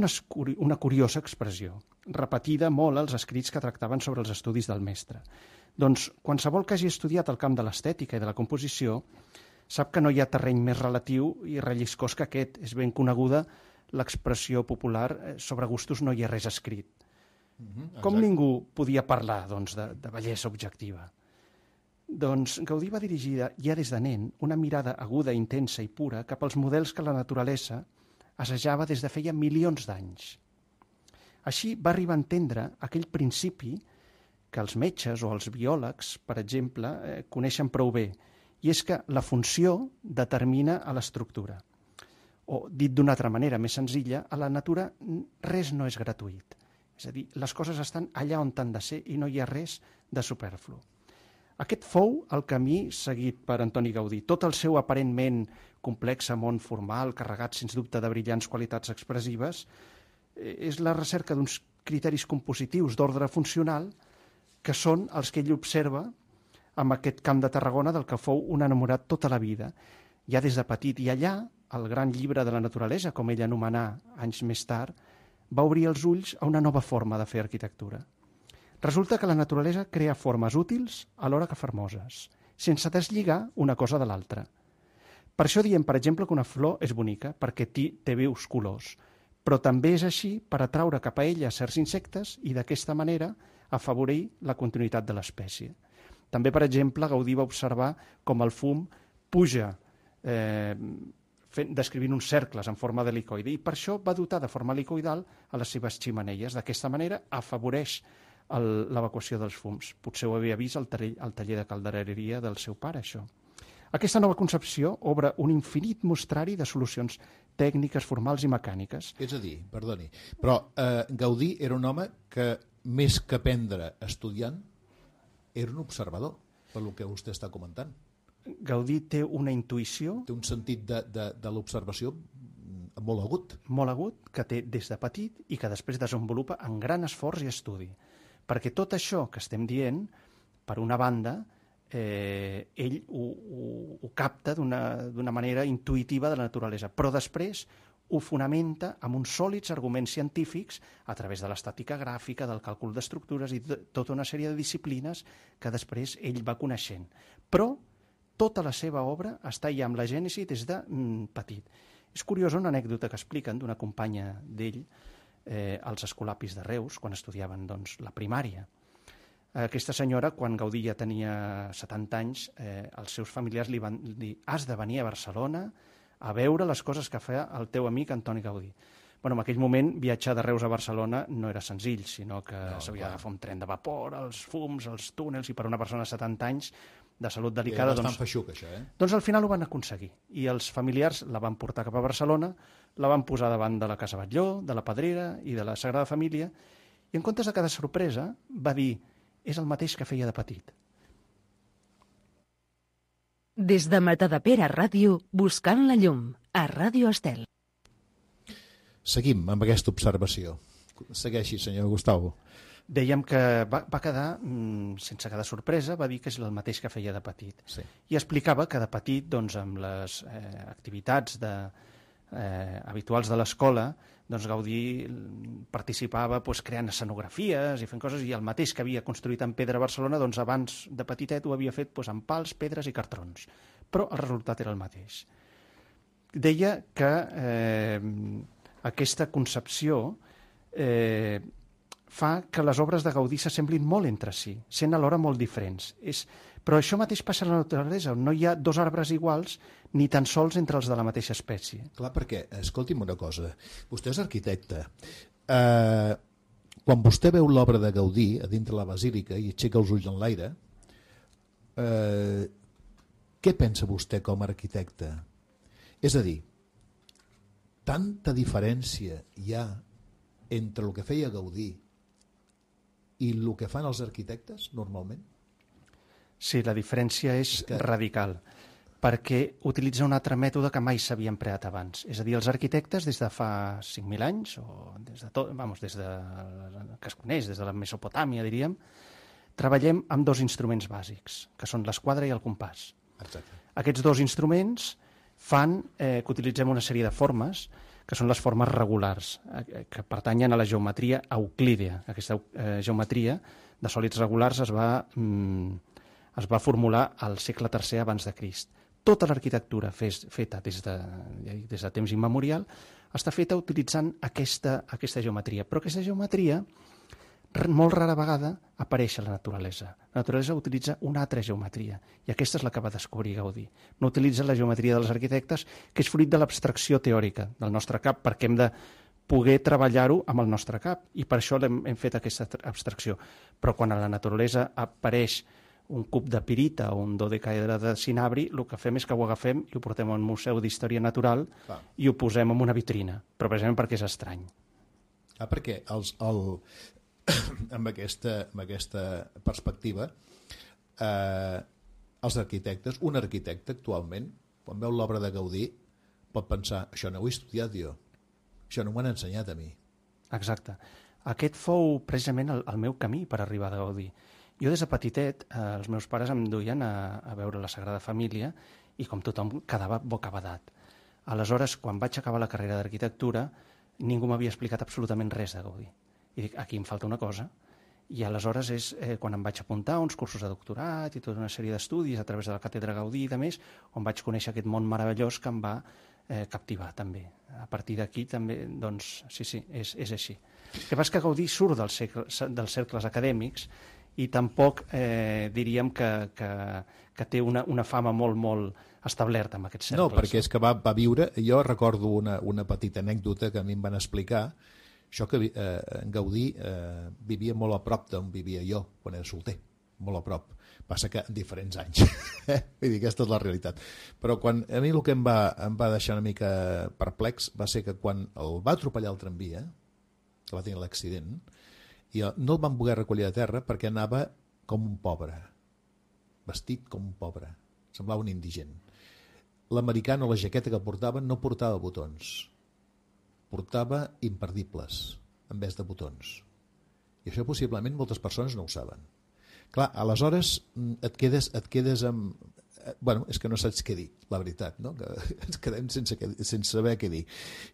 una curiosa expressió, repetida molt als escrits que tractaven sobre els estudis del mestre. Doncs qualsevol que hagi estudiat el camp de l'estètica i de la composició sap que no hi ha terreny més relatiu i relliscós que aquest. És ben coneguda l'expressió popular sobre gustos no hi ha res escrit. Com ningú podia parlar doncs, de bellesa objectiva? Doncs Gaudí va dirigir ja des de nen una mirada aguda, intensa i pura cap als models que la naturalesa assajava des de feia milions d'anys. Així va arribar a entendre aquell principi que els metges o els biòlegs, per exemple, coneixen prou bé, i és que la funció determina a l'estructura. O, dit d'una altra manera, més senzilla, a la natura res no és gratuït. És a dir, les coses estan allà on han de ser i no hi ha res de superflu. Aquest fou el camí seguit per Antoni Gaudí. Tot el seu aparentment complex món formal, carregat sens dubte de brillants qualitats expressives, és la recerca d'uns criteris compositius d'ordre funcional que són els que ell observa amb aquest camp de Tarragona del que fou un enamorat tota la vida, ja des de petit. I allà, el gran llibre de la naturalesa, com ell anomenà anys més tard, va obrir els ulls a una nova forma de fer arquitectura. Resulta que la naturalesa crea formes útils alhora que fermoses, sense deslligar una cosa de l'altra. Per això diem, per exemple, que una flor és bonica, perquè té vius colors, però també és així per atraure cap a ella certs insectes i d'aquesta manera afavorir la continuïtat de l'espècie. També, per exemple, Gaudí va observar com el fum puja descrivint uns cercles en forma d'helicoide i per això va dotar de forma helicoidal a les seves xemeneies. D'aquesta manera afavoreix l'evacuació dels fums. Potser ho havia vist al taller de caldereria del seu pare, això. Aquesta nova concepció obre un infinit mostrari de solucions tècniques, formals i mecàniques. És a dir, perdoni, però Gaudí era un home que, més que aprendre estudiant, era un observador, pel que vostè està comentant. Gaudí té una intuïció... Té un sentit de l'observació molt agut. Molt agut, que té des de petit i que després desenvolupa en gran esforç i estudi. Perquè tot això que estem dient, per una banda, ell ho capta d'una manera intuïtiva de la naturalesa, però després ho fonamenta amb uns sòlids arguments científics a través de l'estàtica gràfica, del càlcul d'estructures i tota una sèrie de disciplines que després ell va coneixent. Però tota la seva obra està ja amb la gènesi des de petit. És curiosa una anècdota que expliquen d'una companya d'ell als Escolapis de Reus, quan estudiaven la primària. Aquesta senyora, quan Gaudí ja tenia 70 anys, els seus familiars li van dir: has de venir a Barcelona a veure les coses que fa el teu amic Antoni Gaudí. En aquell moment, viatjar de Reus a Barcelona no era senzill, sinó que s'havia d'agafar un tren de vapor, els fums, els túnels, i per una persona de 70 anys de salut delicada... Era bastant feixuc, això, Doncs al final ho van aconseguir. I els familiars la van portar cap a Barcelona, la van posar davant de la Casa Batlló, de la Pedrera i de la Sagrada Família, i en comptes de cada sorpresa va dir: és el mateix que feia de petit. Des de Matadepera Ràdio, buscant la llum, a Ràdio Estel. Seguim amb aquesta observació. Segueixi, senyor Gustavo. Dèiem que va quedar, sense cada sorpresa, va dir que és el mateix que feia de petit. Sí. I explicava que de petit, amb les activitats habituals de l'escola, Gaudí participava creant escenografies i fent coses, i el mateix que havia construït en pedra a Barcelona, abans de petitet ho havia fet amb pals, pedres i cartrons. Però el resultat era el mateix. Deia que aquesta concepció fa que les obres de Gaudí s'assemblin molt entre si, sent alhora molt diferents. Però això mateix passa a la naturalesa, on no hi ha dos arbres iguals ni tan sols entre els de la mateixa espècie. Clar, perquè, escolti'm una cosa, vostè és arquitecte. Quan vostè veu l'obra de Gaudí a dintre la basílica i aixeca els ulls en l'aire, què pensa vostè com a arquitecte? És a dir, tanta diferència hi ha entre el que feia Gaudí i el que fan els arquitectes normalment? Sí, la diferència és radical, perquè utilitza un altre mètode que mai s'havia empleat abans. És a dir, els arquitectes des de fa 5.000 anys, o des de que es coneix, des de la Mesopotàmia, diríem, treballem amb dos instruments bàsics, que són l'esquadra i el compàs. Exacte. Aquests dos instruments fan que utilitzem una sèrie de formes, que són les formes regulars, que pertanyen a la geometria euclídea. Aquesta geometria de sòlids regulars es va formular al segle III abans de Crist. Tota l'arquitectura feta des de temps immemorial està feta utilitzant aquesta geometria. Però aquesta geometria, molt rara vegada, apareix a la naturalesa. La naturalesa utilitza una altra geometria, i aquesta és la que va descobrir Gaudí. No utilitza la geometria dels arquitectes, que és fruit de l'abstracció teòrica del nostre cap, perquè hem de poder treballar-ho amb el nostre cap, i per això hem fet aquesta abstracció. Però quan a la naturalesa apareix un cub de pirita o un dodecaedre de cinabri, el que fem és que ho agafem i ho portem a un museu d'història natural i ho posem en una vitrina, però precisament perquè és estrany. Perquè amb aquesta perspectiva, els arquitectes, un arquitecte actualment, quan veu l'obra de Gaudí, pot pensar, això no ho he estudiat jo, això no m'ho han ensenyat a mi. Exacte. Aquest fou precisament el meu camí per arribar a Gaudí. Jo des de petitet, els meus pares em duien a veure la Sagrada Família i com tothom quedava bocabadat. Aleshores, quan vaig acabar la carrera d'arquitectura, ningú m'havia explicat absolutament res de Gaudí. I dic, aquí em falta una cosa. I aleshores és quan em vaig apuntar a uns cursos de doctorat i tota una sèrie d'estudis a través de la Càtedra Gaudí i de més, on vaig conèixer aquest món meravellós que em va captivar també. A partir d'aquí també, doncs, sí, és així. El que passa és que Gaudí surt dels cercles acadèmics i tampoc diríem que té una fama molt establerta en aquests cercles. No, perquè és que va viure, jo recordo una petita anècdota que a mi em van explicar, això que Gaudí vivia molt a prop d'on vivia jo quan era solter, molt a prop. Passa que en diferents anys. Vull dir, aquesta és la realitat. Però a mi el que em va deixar una mica perplex va ser que quan el va atropellar el tramvia, que va tenir l'accident, i no el van poder recollir a terra perquè anava com un pobre, vestit com un pobre, semblava un indigent. L'americano, la jaqueta que portava, no portava botons, portava imperdibles en vez de botons. I això possiblement moltes persones no ho saben. Clar, aleshores et quedes amb... Bueno, és que no saps què dir, la veritat, no? Que ens quedem sense saber què dir.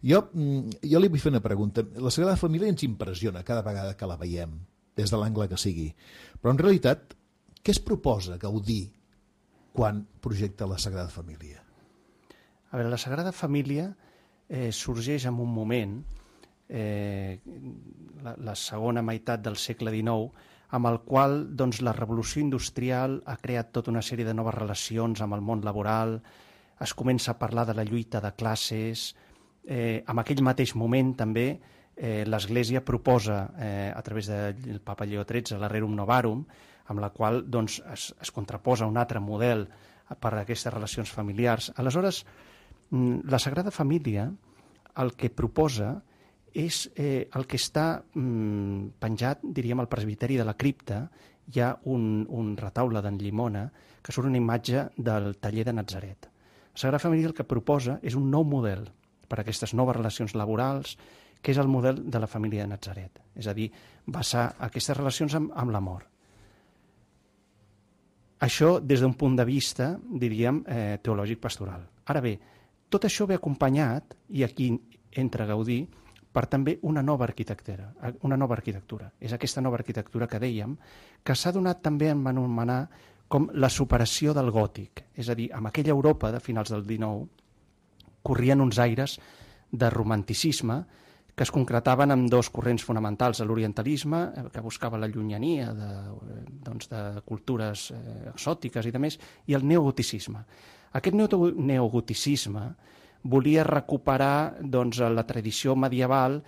Jo li vull fer una pregunta. La Sagrada Família ens impressiona cada vegada que la veiem, des de l'angle que sigui. Però en realitat, què es proposa Gaudí quan projecta la Sagrada Família? A veure, la Sagrada Família sorgeix en un moment, la segona meitat del segle XIX, amb el qual doncs, la revolució industrial ha creat tota una sèrie de noves relacions amb el món laboral, es comença a parlar de la lluita de classes, en aquell mateix moment també l'Església proposa, a través del Papa Lleó XIII, la Rerum Novarum, amb la qual doncs, es contraposa un altre model per a aquestes relacions familiars. Aleshores, la Sagrada Família el que proposa és el que està penjat, diríem, al presbiteri de la cripta. Hi ha un retaule d'en Llimona que surt una imatge del taller de Natzaret. La Sagrada Família el que proposa és un nou model per a aquestes noves relacions laborals, que és el model de la família de Natzaret. És a dir, basar aquestes relacions amb l'amor. Això des d'un punt de vista, diríem, teològic-pastoral. Ara bé, tot això ve acompanyat, i aquí entra Gaudí, per també una nova arquitectura. És aquesta nova arquitectura que dèiem, que s'ha donat també a anomenar com la superació del gòtic. És a dir, en aquella Europa de finals del XIX corrien uns aires de romanticisme que es concretaven en dos corrents fonamentals, l'orientalisme, que buscava la llunyania de cultures exòtiques i demés, i el neogoticisme. Aquest neogoticisme volia recuperar la tradició medieval,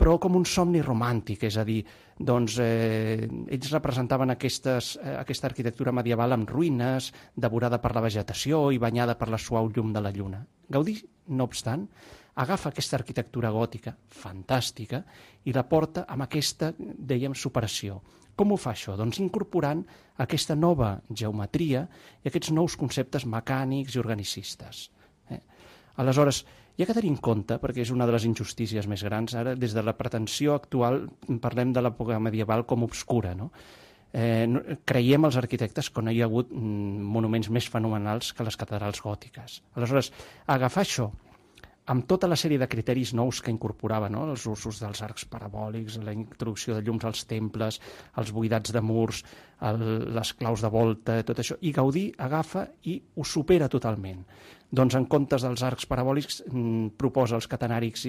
però com un somni romàntic, és a dir, ells representaven aquesta arquitectura medieval amb ruïnes, devorada per la vegetació i banyada per la suau llum de la lluna. Gaudí, no obstant, agafa aquesta arquitectura gòtica fantàstica i la porta amb aquesta, dèiem, superació. Com ho fa això? Doncs incorporant aquesta nova geometria i aquests nous conceptes mecànics i organicistes. Aleshores, hi ha que tenir en compte, perquè és una de les injustícies més grans, ara des de la pretensió actual parlem de l'època medieval com obscura, no? Creiem els arquitectes que no hi ha hagut monuments més fenomenals que les catedrals gòtiques. Aleshores, agafar això amb tota la sèrie de criteris nous que incorporava, no? Els usos dels arcs parabòlics, la introducció de llums als temples, els buidats de murs, les claus de volta, tot això, i Gaudí agafa i ho supera totalment. Doncs en comptes dels arcs parabòlics proposa els catenàrics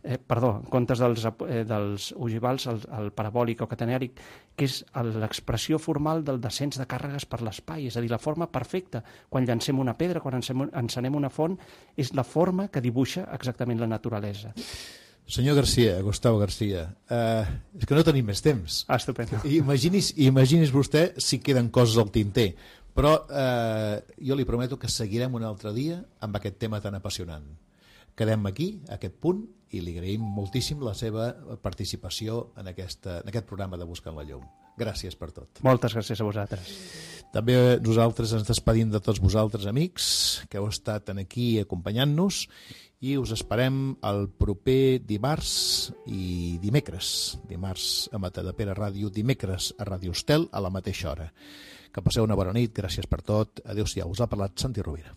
en comptes dels ogivals, el parabòlic o catenàric, que és l'expressió formal del descens de càrregues per l'espai, és a dir, la forma perfecta. Quan llancem una pedra, quan encenem una font, és la forma que dibuixa exactament la naturalesa. Senyor Garcia, Gustavo Garcia, és que no tenim més temps. Estupendo. Imagini's vostè si queden coses al tinter, però jo li prometo que seguirem un altre dia amb aquest tema tan apassionant. Quedem aquí, a aquest punt, i li agraïm moltíssim la seva participació en aquest programa de Buscant la Llum. Gràcies per tot. Moltes gràcies a vosaltres. També nosaltres ens despedim de tots vosaltres, amics, que heu estat aquí acompanyant-nos, i us esperem el proper dimarts i dimecres. Dimarts a Matadepera Ràdio, dimecres a Ràdio Estel a la mateixa hora. Que passeu una bona nit, gràcies per tot. Adéu-siau, us ha parlat Santi Rovira.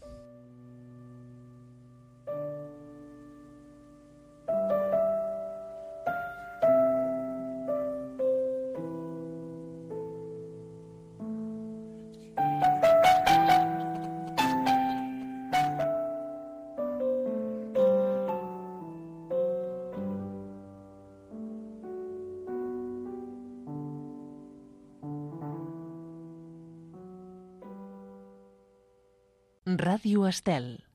Ràdio Estel.